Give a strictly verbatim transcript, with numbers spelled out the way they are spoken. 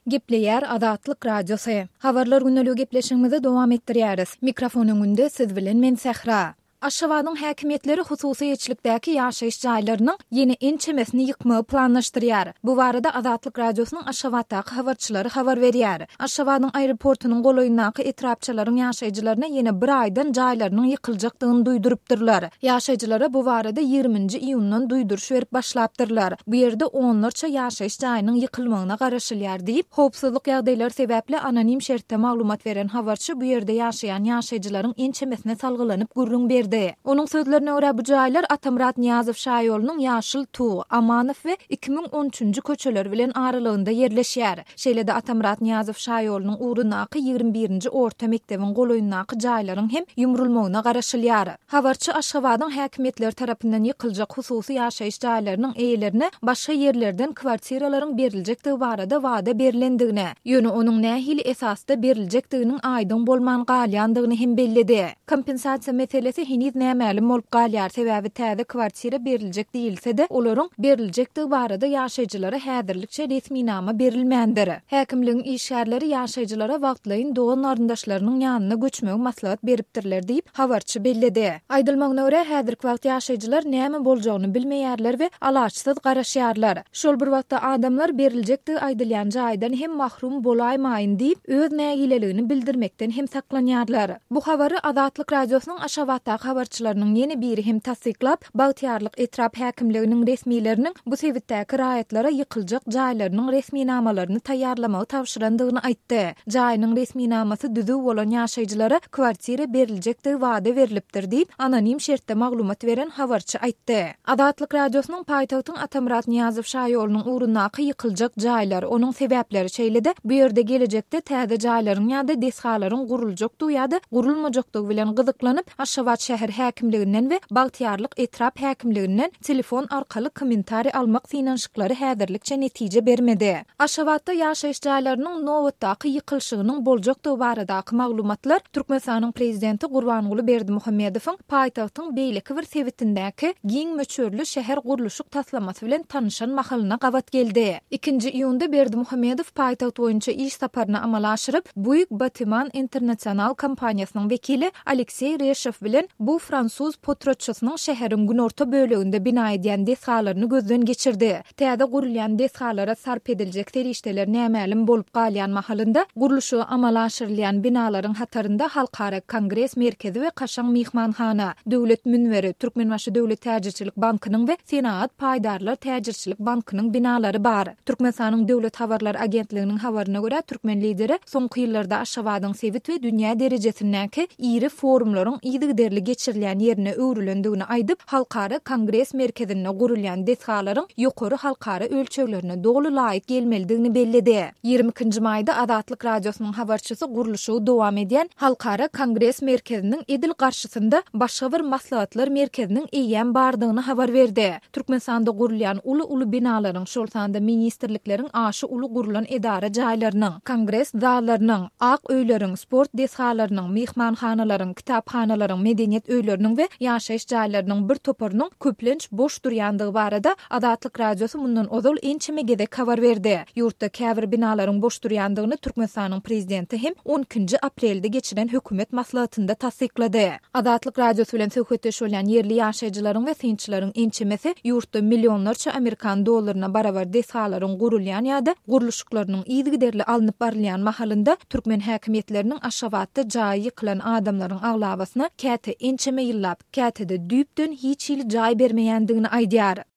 Gepleýär Azatlyk Radiosy. Habarlar gündeligi gepleşigimizi dowam etdirýäris. Mikrofon öňünde siz bilen men Sähra. Aşgabadyň häkimiýetleri hususy eýeçilikdäki ýaşaýyş jaýlarynyň ýene ençemesini ýykmagy planlaşdyrýar. Bu barada Azatlyk Radiosynyň Aşgabatdaky habarçylary habar berýär. Aşgabadyň aeroportunyň golaýyndaky etrapçalaryň ýaşaýjylaryna ýene bir aýdan jaýlarynyň ýykyljakdygyny duýdurypdyrlar. Ýaşaýjylara bu barada ýigriminji iýundan duýduryş berip başlapdyrlar. Bu ýerde onlarça ýaşaýyş jaýynyň ýykylmagyna garaşylýar diýip, howpsuzlyk ýagdaýlary sebäpli anonim şertde maglumat beren habarçy bu ýerde ýaşaýan ýaşaýjylaryň ençemesine salgylanyp gürrüň berdi. Onuň sözlerine görä, bu jaýlar Atamyrat Nyýazow şaýolunyň Ýaşyl Tug, Amanow we iki müň on üçünji köçeleri bilen aralygynda ýerleşýär. Şeýle-de Atamyrat Nyýazow şaýolunyň ugrundaky ýigrimi birinji orta mekdebiň golaýyndaky jaýlaryň hem ýumrulmagyna garaşylýar. Habarçy Aşgabadyň häkimiýetleri tarapyndan ýykyljak hususy ýaşaýyş jaýlarynyň eýelerine başga ýerlerden kwartiralaryň beriljekdigi barada wada berilendigine, ýöne onuň nähili esasda beriljekdiginiň aýdyň bolman galýandygyny hem belledi. Kompensasiýa meselesi heniz nämälim bolup galýar, sebäbi täze kwartira beriljek diýilse-de, olaryň beriljekdigi barada ýaşaýjylara häzirlikçe resminama berilmändir. Häkimligiň işgärleri ýaşaýjylara wagtlaýyn dogan-garyndaşlarynyň ýanyna göçmegi maslahat beripdirler diýip, habarçy belledi. Aýdylmagyna görä, häzirki wagt ýaşaýjylar näme boljagyny bilmeýärler we alaçsyz garaşýarlar. Şol bir wagtda adamlar beriljekdigi aýdylýan jaýdan hem mahrum bolaýmaýyn diýip, öz nägileligini bildirmekden hem saklanýarlar. Bu habary Azatlyk Radiosynyň Aşgabatdaky habarçylarynyň ýene biri hem tassyklap, Bagtyýarlyk etrap häkimliginiň resmileriniň bu sebitdäki raýatlara ýykyljak jaýlarynyň resminamalaryny taýýarlamagy tabşyrandygyny aýtdy. Jaýynyň resminamasy düzüw bolan ýaşaýjylara kwartira beriljekdigi wada berilipdir diýip, anonim şertde maglumat beren habarçy aýtdy. Azatlyk Radiosynyň paýtagtyň Atamyrat Nyýazow şaýolunyň ugrundaky ýykyljak jaýlar, onuň sebäpleri şeýle-de bu ýerde gelejekde täze jaýlaryň ýa-da desgalaryň guruljakdygy ýa-da gurulmajakdygy bilen gyzyklanyp, Aşgabat şäher häkimliginden we Bagtyýarlyk etrap häkimliginden telefon arkaly kommentariý almak synanyşyklary häzirlikçe netije bermedi. Aşgabatda ýaşaýyş jaýlarynyň nobatdaky ýykylyşygynyň boljakdygy baradaky maglumatlar Türkmenistanyň prezidenti Gurbanguly Berdimuhamedowyň paýtagtyň beýleki bir sebitindäki giň möçberli şäher gurluşyk taslamasy bilen tanyşan mahalyna gabat geldi. Ikinji iýunda Berdimuhamedow paýtagt boýunça iş saparyny amala aşyryp, Buig Batiman International kompaniýasynyň wekili Alekseý Reşow bilen bu fransuz potratçysynyň şäheriň günorta böleginde bina edýän desgalaryny gözden geçirdi. Täze gurulýan desgalara sarp ediljek serişdeler nämälim bolup galýan mahalynda gurluşygy amala aşyrylýan binalaryň hatarynda Halkara Kongres merkezi we kaşaň myhmanhana, Döwlet münberi, Türkmenbaşy Döwlet täjirçilik bankynyň we Senagat paýdarlar täjirçilik bankynyň binalary bar. Türkmenistanyň Döwlet habarlar agentliginiň habaryna görä, türkmen lideri soňky ýyllarda Aşgabadyň sebit we dünýä derejesindäki iri forumlaryň yzygiderli geçirilýän ýerine öwrülendigini aýdyp, Halkara Kongres merkezinde gurulýan desgalaryň ýokary halkara ölçeglerine doly laýyk gelmelidigini belledi. Ýigrimi ikinji maýda Azatlyk Radiosynyň habarçysy gurluşygy dowam edýän Halkara Kongres merkeziniň edil garşysynda başga bir maslahatlar merkeziniň eýýäm bardygyny habar berdi. Türkmenistanda gurulýan uly-uly binalaryň, şol sanda ministrlikleriň aşy uly gurulan edara jaýlarynyň, kongres zallarynyň, ak öýleriň, sport desgalarynyň, myhmanhanalaryň, kitaphanalaryň, medeniýet öýleriniň we ýaşaýyş jaýlarynyň bir toparynyň köplenç boş durýandygy barada Azatlyk Radiosy mundan ozal ençeme gezek habar berdi. Ýurtda käbir binalaryň boş durýandygyny Türkmenistanyň prezidenti hem on ikinji aprelde geçiren hökümet maslahatynda tassyklady. Azatlyk Radiosy bilen söhbetdeş bolýan ýerli ýaşaýjylaryň we synçylaryň ençemesi ýurtda millionlarça amerikan dollaryna barabar desgalaryň gurulýan ýa-da gurluşyklarynyň yzygiderli alnyp barylýan mahalynda türkmen häkimiýetleriniň Aşgabatda jaýy ýykylan adamlaryň aglabasyna käte ençeme ýyllap, käte-de düýpden hiç hili jaý bermeýändigini aýdýar.